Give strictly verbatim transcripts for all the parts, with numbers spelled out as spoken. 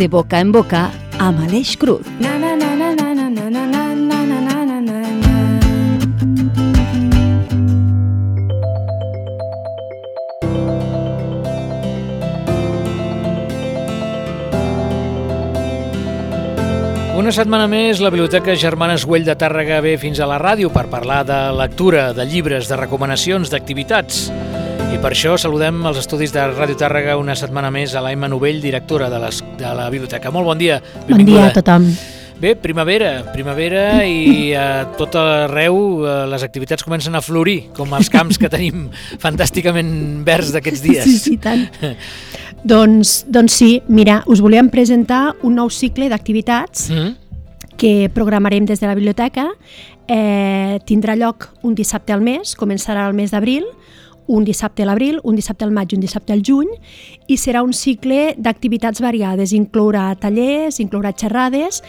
De boca en boca amb Aleix Cruz. Una setmana més, la Biblioteca Germanes Güell de Tàrrega ve fins a la ràdio per parlar de lectura, de llibres, de recomanacions, d'activitats. I per això saludem als estudis de Ràdio Tàrrega una setmana més a l'Emma Novell, directora de, les, de la biblioteca. Molt bon dia, benvinguda. Bon dia a tothom. Bé, primavera, primavera i a tot arreu les activitats comencen a florir, com els camps que tenim fantàsticament verds d'aquests dies. Sí, sí, tant. doncs, doncs sí, mira, us volíem presentar un nou cicle d'activitats mm-hmm. que programarem des de la biblioteca. Eh, tindrà lloc un dissabte al mes, començarà el mes d'abril, un dissabte a l'abril, un dissabte al maig i un dissabte al juny, i serà un cicle d'activitats variades, inclourà tallers, inclourà xerrades,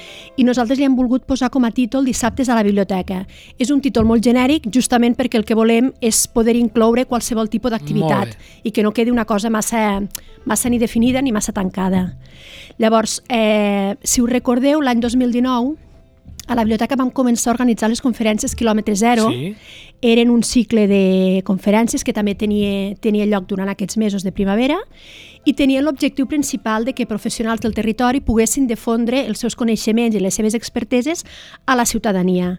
i nosaltres li hem volgut posar com a títol Dissabtes a la biblioteca. És un títol molt genèric, justament perquè el que volem és poder incloure qualsevol tipus d'activitat i que no quedi una cosa massa, massa ni definida ni massa tancada. Llavors, eh, si us recordeu, l'any dos mil dinou, a la biblioteca vam començar a organitzar les conferències quilòmetre zero. Sí. Eren un cicle de conferències que també tenia, tenia lloc durant aquests mesos de primavera i tenien l'objectiu principal de que professionals del territori poguessin difondre els seus coneixements i les seves experteses a la ciutadania.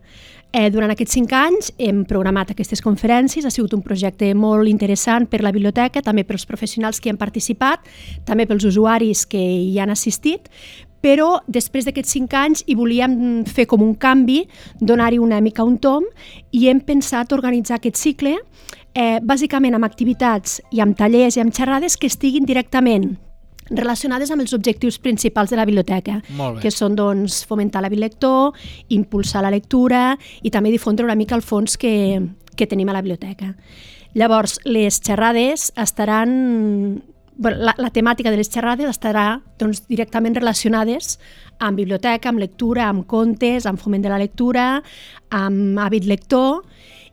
Eh, durant aquests cinc anys hem programat aquestes conferències, ha sigut un projecte molt interessant per la biblioteca, també pels professionals que hi han participat, també pels usuaris que hi han assistit, però després d'aquests cinc anys hi volíem fer com un canvi, donar-hi una mica un tom, i hem pensat organitzar aquest cicle eh, bàsicament amb activitats i amb tallers i amb xerrades que estiguin directament relacionades amb els objectius principals de la biblioteca, que són doncs, fomentar l'hàbit lector, impulsar la lectura i també difondre una mica el fons que, que tenim a la biblioteca. Llavors, les xerrades estaran... La, la temàtica de les xerrades estarà doncs, directament relacionades amb biblioteca, amb lectura, amb contes, amb foment de la lectura, amb hàbit lector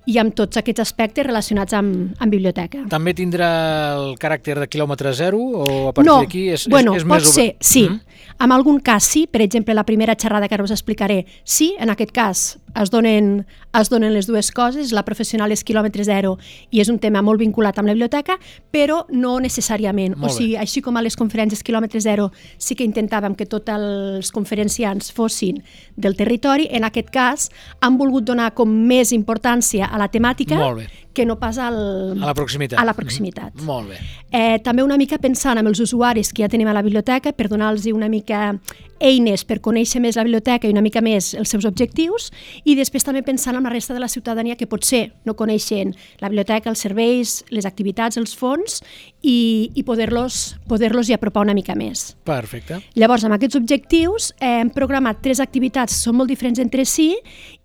i amb tots aquests aspectes relacionats amb, amb biblioteca. També tindrà el caràcter de quilòmetre zero o a partir no, d'aquí és, bueno, és, és pot més... ser, sí. Mm? En algun cas sí, per exemple, la primera xerrada que ara us explicaré, sí, en aquest cas es donen, es donen les dues coses, la professional és quilòmetre zero i és un tema molt vinculat amb la biblioteca, però no necessàriament. O sigui, així com a les conferències quilòmetre zero sí que intentàvem que tots els conferenciants fossin del territori, en aquest cas han volgut donar com més importància a la temàtica que no pas al, a la proximitat. A la proximitat. Mm-hmm. Molt bé. Eh, també una mica pensant en els usuaris que ja tenim a la biblioteca per donar-los una mica eines per conèixer més la biblioteca i una mica més els seus objectius, i després també pensant en la resta de la ciutadania que potser no coneixen la biblioteca, els serveis, les activitats, els fons, i, i poder-los poder-los hi apropar una mica més. Perfecte. Llavors, amb aquests objectius eh, hem programat tres activitats que són molt diferents entre si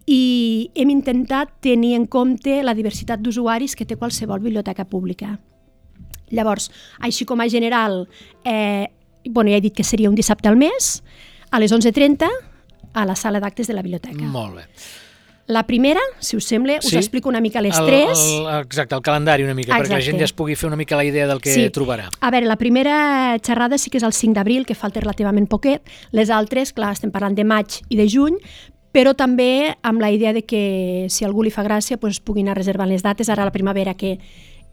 i hem intentat tenir en compte la diversitat d'usuaris que té qualsevol biblioteca pública. Llavors, així com a general, eh, bueno, ja he dit que seria un dissabte al mes, a les onze trenta, a la sala d'actes de la biblioteca. Molt bé. La primera, si us sembla, us sí? explico una mica les el, tres. El, exacte, el calendari una mica, exacte. Perquè la gent ja es pugui fer una mica la idea del que sí. trobarà. A veure, la primera xerrada sí que és el cinc d'abril, que falta relativament poquet. Les altres, clar, estem parlant de maig i de juny, però també amb la idea de que si a algú li fa gràcia doncs puguin anar reservant les dates. Ara a la primavera que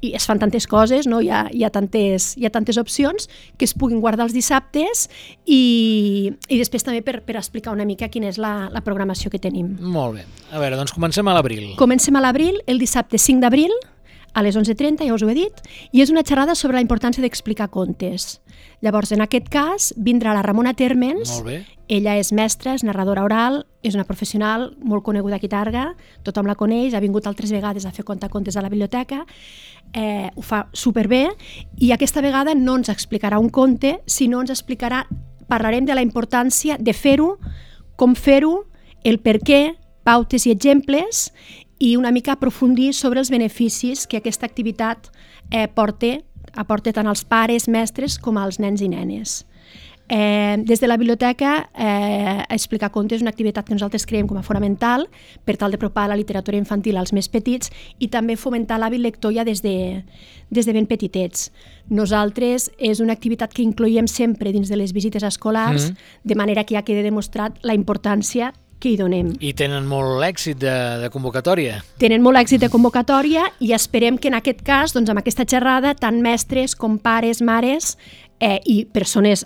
i es fan tantes coses, no? hi, ha, hi, ha tantes, hi ha tantes opcions que es puguin guardar els dissabtes i, i després també per, per explicar una mica quina és la, la programació que tenim. Molt bé. A veure, doncs comencem a l'abril. Comencem a l'abril, el dissabte cinc d'abril, a les onze trenta, ja us ho he dit, i és una xerrada sobre la importància d'explicar contes. Llavors, en aquest cas, vindrà la Ramona Térmens. Molt bé. Ella és mestra, és narradora oral, és una professional molt coneguda aquí a Tàrrega, tothom la coneix, ha vingut altres vegades a fer contacontes a la biblioteca, eh, ho fa superbé, i aquesta vegada no ens explicarà un conte, sinó ens explicarà, parlarem de la importància de fer-ho, com fer-ho, el per què, pautes i exemples, i una mica aprofundir sobre els beneficis que aquesta activitat eh, porta, aporta tant als pares, mestres, com als nens i nenes. Eh, des de la biblioteca, eh, explicar contes és una activitat que nosaltres creiem com a fonamental per tal d'apropar la literatura infantil als més petits i també fomentar l'hàbit lector ja des de, des de ben petitets. Nosaltres és una activitat que incloïm sempre dins de les visites escolars, mm. de manera que ja queda demostrat la importància que hi donem. I tenen molt èxit de, de convocatòria. Tenen molt èxit de convocatòria i esperem que en aquest cas, doncs, amb aquesta xerrada, tant mestres com pares, mares eh, i persones,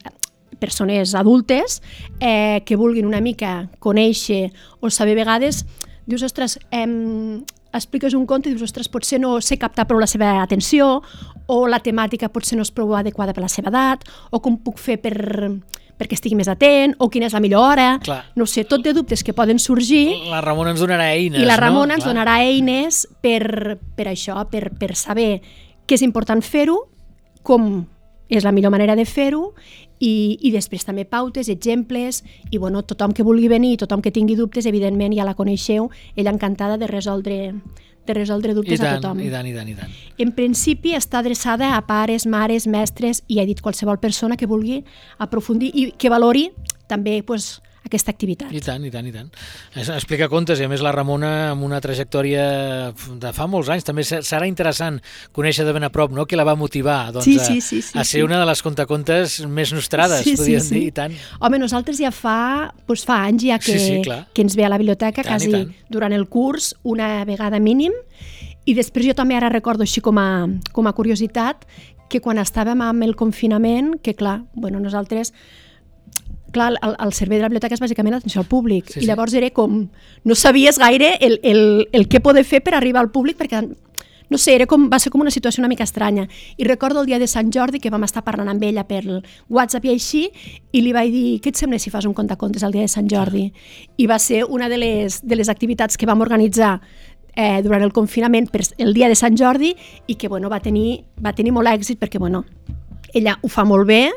persones adultes eh, que vulguin una mica conèixer o saber vegades, dius, ostres, eh, expliques un conte i dius, ostres, potser no sé captar prou la seva atenció o la temàtica potser no és prou adequada per la seva edat o com puc fer per... perquè estigui més atent, o quina és la millor hora, Clar. no sé, tot de dubtes que poden sorgir. La Ramona ens donarà eines, I la Ramona no? ens Clar. donarà eines per, per això, per, per saber què és important fer-ho, com és la millor manera de fer-ho, i, i després també pautes, exemples, i bueno, tothom que vulgui venir, tothom que tingui dubtes, evidentment ja la coneixeu, ella encantada de resoldre de resoldre dubtes I tant, a tothom. I tant, i tant, i tant. En principi està adreçada a pares, mares, mestres i he dit qualsevol persona que vulgui aprofundir i que valori també pues, aquesta activitat. I tant, i tant, i tant. Explica contes, i a més la Ramona amb una trajectòria de fa molts anys, també serà interessant conèixer de ben a prop, no?, que la va motivar doncs, sí, sí, sí, sí, a, a ser sí. una de les contacontes més nostrades, sí, podríem sí, sí. dir, i tant. Home, nosaltres ja fa, doncs fa anys ja que, sí, sí, que ens ve a la biblioteca, tant, quasi durant el curs, una vegada mínim, i després jo també ara recordo així com a, com a curiositat que quan estàvem amb el confinament, que clar, bueno, nosaltres clar, el, el servei de la biblioteca és bàsicament l'atenció al públic, sí, i llavors sí. era com, no sabies gaire el, el, el què poder fer per arribar al públic, perquè no sé, era com, va ser com una situació una mica estranya. I recordo el dia de Sant Jordi que vam estar parlant amb ella per WhatsApp i així, i li vaig dir, què et sembla si fas un contacontes el dia de Sant Jordi? I va ser una de les, de les activitats que vam organitzar eh, durant el confinament per el dia de Sant Jordi i que bueno, va, tenir, va tenir molt èxit perquè bueno, ella ho fa molt bé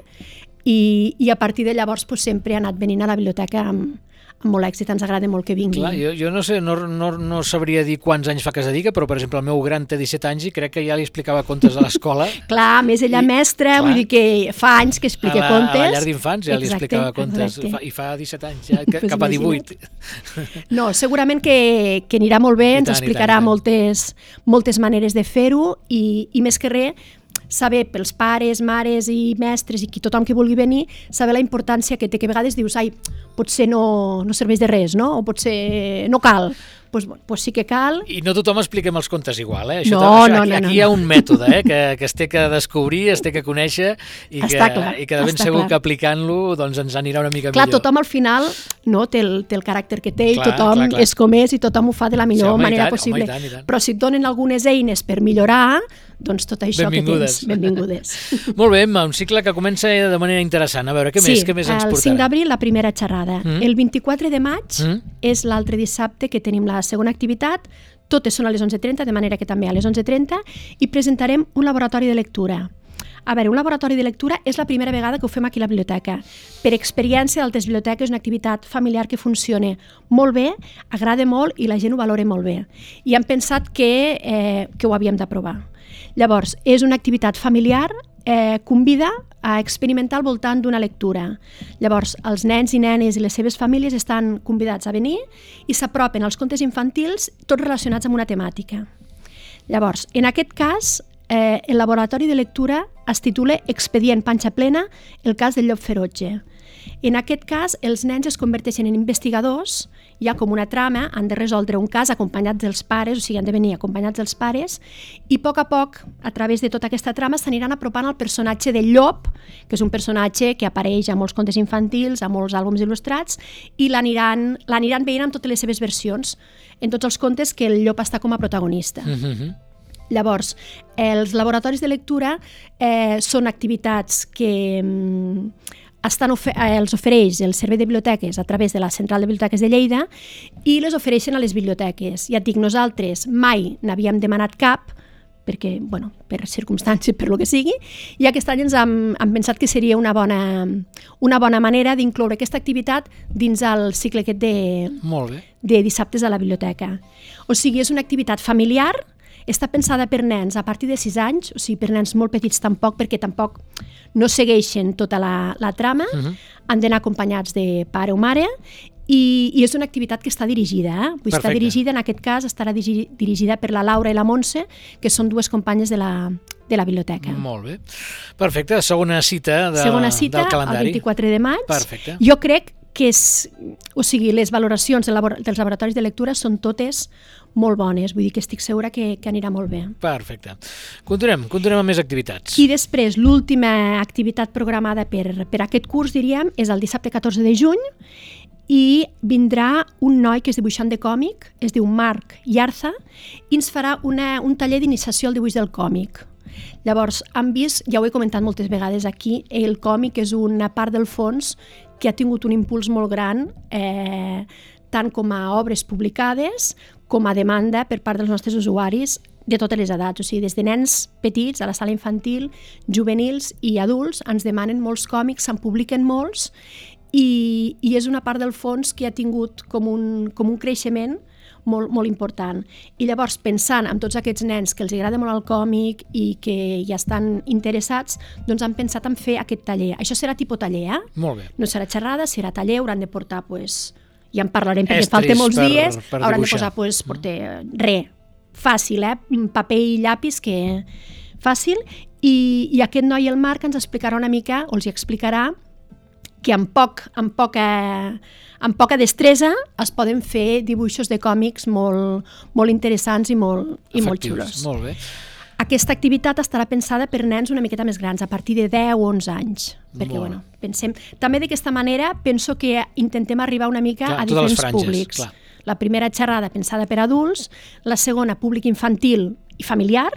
i, i a partir de llavors pues, sempre ha anat venint a la biblioteca amb, amb molt èxit, ens agrada molt que vingui. Clar, jo, jo no sé, no, no, no sabria dir quants anys fa que es dedica, però per exemple el meu gran té disset anys i crec que ja li explicava contes a l'escola. Clar, a més ella I, mestra, clar, vull dir que fa anys que explica a la, contes. A la llar d'infants ja li explicava contes, fa, i fa disset anys, ja, pues cap a divuit. No, segurament que, que anirà molt bé, I ens tant, explicarà tant, moltes, moltes maneres de fer-ho i, i més que res, saber pels pares, mares i mestres i qui, tothom que vulgui venir, saber la importància que té, que a vegades dius, ai, potser no, no serveix de res, no? O potser no cal. Pues, pues sí que cal. I no tothom expliquem els contes igual, eh? Això, no, això, no, aquí, no, aquí no, hi ha un mètode, eh? que, que es té que descobrir, es té que conèixer i que, clar, i que de ben segur clar. que aplicant-lo doncs ens anirà una mica clar, millor. Tothom al final no, té, el, té el caràcter que té i clar, tothom clar, clar. és com és i tothom ho fa de la millor sí, home, manera tant, possible. Home, i tant, i tant. Però si et donen algunes eines per millorar, doncs tot això benvingudes. que tens, benvingudes. Molt bé, Emma, un cicle que comença de manera interessant. A veure, què sí, més, què més ens portarà? Sí, el cinc d'abril la primera xerrada. Mm. El vint-i-quatre de maig mm. és l'altre dissabte que tenim la segona activitat. Totes són a les onze trenta, de manera que també a les onze trenta, i presentarem un laboratori de lectura. A veure, un laboratori de lectura és la primera vegada que ho fem aquí a la biblioteca. Per experiència d'altres biblioteques és una activitat familiar que funciona molt bé, agrada molt i la gent ho valora molt bé. I hem pensat que, eh, que ho havíem de provar. Llavors, és una activitat familiar, eh, convida a experimentar al voltant d'una lectura. Llavors, els nens i nenes i les seves famílies estan convidats a venir i s'apropen als contes infantils tots relacionats amb una temàtica. Llavors, en aquest cas, eh, el laboratori de lectura es titula Expedient Panxa Plena, el cas del llop ferotge. En aquest cas, els nens es converteixen en investigadors, hi ha com una trama, han de resoldre un cas acompanyats dels pares, o sigui, han de venir acompanyats dels pares, i a poc a poc, a través de tota aquesta trama, s'aniran apropant al personatge del llop, que és un personatge que apareix a molts contes infantils, a molts àlbums il·lustrats, i l'aniran l'aniran veient amb totes les seves versions, en tots els contes que el llop està com a protagonista. Mm-hmm. Llavors, els laboratoris de lectura eh, són activitats que mm, estan ofer els ofereix el Servei de Biblioteques a través de la Central de Biblioteques de Lleida i les ofereixen a les biblioteques. Ja et dic, nosaltres mai n'havíem demanat cap, perquè, bueno, per circumstàncies, per lo que sigui, i aquest any ens hem, hem pensat que seria una bona, una bona manera d'incloure aquesta activitat dins el cicle aquest de, Molt bé. de dissabtes a la biblioteca. O sigui, és una activitat familiar està pensada per nens a partir de sis anys, o sigui, per nens molt petits tampoc, perquè tampoc no segueixen tota la, la trama, uh-huh. han d'anar acompanyats de pare o mare, i, i és una activitat que està dirigida. Eh? Vull estar dirigida, en aquest cas, estarà digi, dirigida per la Laura i la Montse, que són dues companyes de la, de la biblioteca. Molt bé. Perfecte. Segona cita, de, Segona cita del calendari. El vint-i-quatre de maig. Perfecte. Jo crec que és, o sigui, les valoracions del labor, dels laboratoris de lectura són totes molt bones, vull dir que estic segura que, que anirà molt bé. Perfecte. Continuem, continuem amb més activitats. I després, l'última activitat programada per, per aquest curs, diríem, és el dissabte catorze de juny, i vindrà un noi que és dibuixant de còmic, es diu Marc Yarza, i ens farà una, un taller d'iniciació al dibuix del còmic. Llavors, han vist, ja ho he comentat moltes vegades aquí, el còmic és una part del fons que ha tingut un impuls molt gran, eh, tant com a obres publicades com a demanda per part dels nostres usuaris de totes les edats, o sigui, des de nens petits a la sala infantil, juvenils i adults, ens demanen molts còmics, se'n publiquen molts, i, i és una part del fons que ha tingut com un, com un creixement molt, molt important. I llavors, pensant en tots aquests nens que els agrada molt el còmic i que ja estan interessats, doncs han pensat en fer aquest taller. Això serà tipus taller, eh? Molt bé. No serà xerrada, serà taller, hauran de portar, pues, ja en parlarem perquè Estris falta molts per, dies, per hauran dibuixar. de posar, pues, porter, res, fàcil, eh? Paper i llapis, que fàcil, i, i aquest noi, el Marc, ens explicarà una mica, o els hi explicarà, que amb, poc, amb, poca, amb poca destresa es poden fer dibuixos de còmics molt, molt interessants i molt, i molt xulos. Molt bé. Aquesta activitat estarà pensada per nens una miqueta més grans, a partir de deu o onze anys. Perquè, Molt. bueno, pensem... També d'aquesta manera penso que intentem arribar una mica Clar, a totes les diferents franges, públics. clar. La primera xerrada pensada per adults, la segona públic infantil i familiar,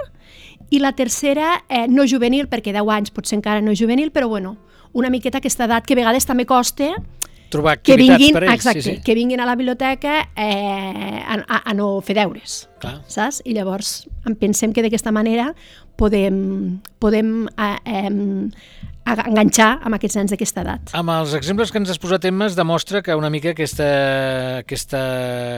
i la tercera eh, no juvenil, perquè deu anys potser encara no juvenil, però bueno, una miqueta aquesta edat que a vegades també costa trobar que activitats vinguin, per ells. exacte, Sí, sí. que vinguin a la biblioteca eh, a, a, a no fer deures. Clar. Saps? I llavors em pensem que d'aquesta manera podem, podem eh, eh, enganxar amb aquests nens d'aquesta edat. Amb els exemples que ens has posat, Emma, es demostra que una mica aquesta, aquesta,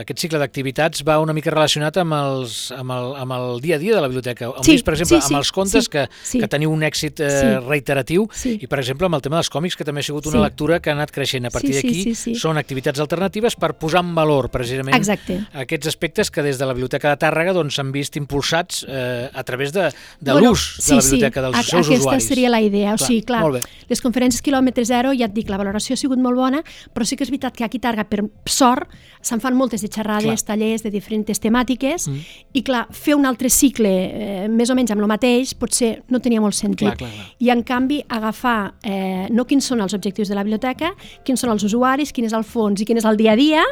aquest cicle d'activitats va una mica relacionat amb, els, amb, el, amb el dia a dia de la biblioteca. Hem Sí, vist, per exemple, sí, sí, amb els contes sí, que, sí. que teniu un èxit eh, Sí. reiteratiu Sí. i, per exemple, amb el tema dels còmics, que també ha sigut una Sí. lectura que ha anat creixent. A partir Sí, sí, d'aquí sí, sí. són activitats alternatives per posar en valor, precisament, Exacte. aquests aspectes que des de la Biblioteca de Tàrrega doncs, s'han vist impulsats eh, a través de, de Bueno, l'ús sí, de la biblioteca, sí. dels A- seus aquesta usuaris. seria la idea. O Clar, sigui, clar, molt bé. les conferències quilòmetre zero, ja et dic, la valoració ha sigut molt bona, però sí que és veritat que aquí a Targa, per sort, se'n fan moltes de xerrades, Clar. tallers de diferents temàtiques, Mm. i clar, fer un altre cicle eh, més o menys amb el mateix potser no tenia molt sentit. Clar, clar, clar. I en canvi agafar eh, no quins són els objectius de la biblioteca, quins són els usuaris, quin és el fons i quin és el dia a dia,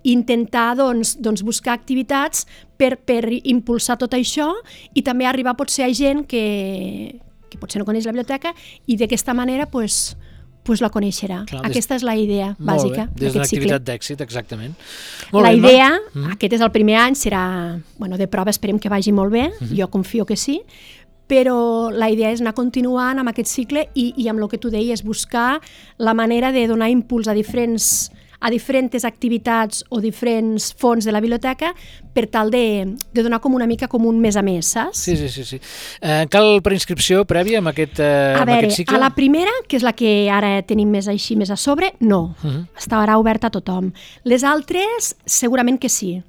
i intentar doncs, doncs, buscar activitats per, per impulsar tot això i també arribar potser a gent que, que potser no coneix la biblioteca i d'aquesta manera pues, pues la coneixerà. Clar, des- Aquesta és la idea Molt bàsica bé, des d'una d'aquest cicle. activitat d'èxit, exactament. La bé, Emma. idea, Mm. aquest és el primer any, serà bueno, de prova, esperem que vagi molt bé, Mhm. jo confio que sí, però la idea és anar continuant amb aquest cicle i, i amb el que tu deies, buscar la manera de donar impuls a diferents a diferents activitats o diferents fons de la biblioteca per tal de, de donar com una mica com un mes a mes, saps? Sí, sí, sí. sí. Eh, cal preinscripció prèvia amb aquest, eh, A amb veure, aquest cicle? a la primera, que és la que ara tenim més així, més a sobre, no. Uh -huh. Estarà oberta a tothom. Les altres, segurament que sí.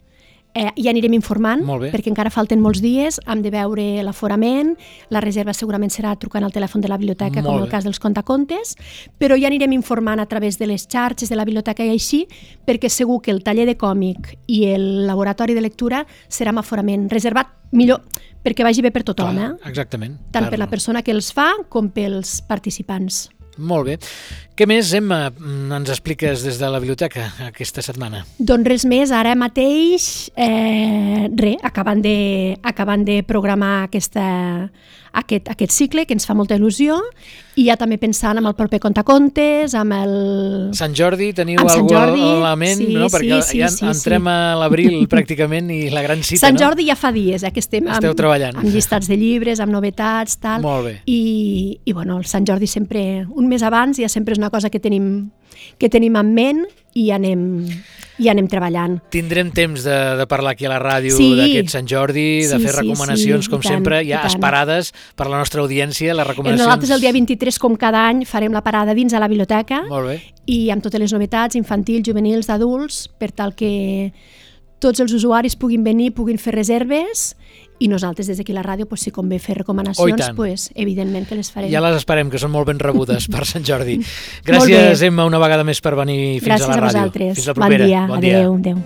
Eh, ja anirem informant, Molt bé. perquè encara falten molts dies, hem de veure l'aforament, la reserva segurament serà trucant al telèfon de la biblioteca, Molt com bé. el cas dels contacontes, però ja anirem informant a través de les xarxes de la biblioteca i així, perquè segur que el taller de còmic i el laboratori de lectura serà amb aforament reservat, millor, perquè vagi bé per tothom, Clar, eh? exactament. tant Per- per la persona que els fa com pels participants. Molt bé. Què més, Emma, ens expliques des de la biblioteca aquesta setmana? Doncs res més, ara mateix, eh, res, acabant de, acabant de programar aquesta, aquest, aquest cicle, que ens fa molta il·lusió, i ja també pensant en el proper contacontes, amb el... Sant Jordi, teniu Amb Sant algú Jordi, a la ment? sí, no? sí, Perquè sí, ja sí, entrem sí. a l'abril pràcticament i la gran cita, Sant no? Jordi ja fa dies, eh, que estem Esteu amb, treballant. amb llistats de llibres, amb novetats, tal. Molt bé. I, i bueno, el Sant Jordi sempre, un mes abans, ja sempre és una cosa que tenim que tenim en ment i anem, i anem treballant. Tindrem temps de, de parlar aquí a la ràdio sí, d'aquest Sant Jordi, de sí, fer recomanacions, sí, sí, com tant, sempre, ja tant. esperades per la nostra audiència, les recomanacions... Nosaltres el dia vint-i-tres, com cada any, farem la parada dins a la biblioteca. Molt bé. I amb totes les novetats infantils, juvenils, d'adults, per tal que tots els usuaris puguin venir, puguin fer reserves, i nosaltres des d'aquí a la ràdio, pues, si convé fer recomanacions, pues, evidentment que les farem. Ja les esperem, que són molt ben rebudes per Sant Jordi. Gràcies, Emma, una vegada més per venir fins Gràcies a la ràdio. Gràcies a vosaltres. Fins la propera. Bon dia. Bon dia. Adéu. Adéu.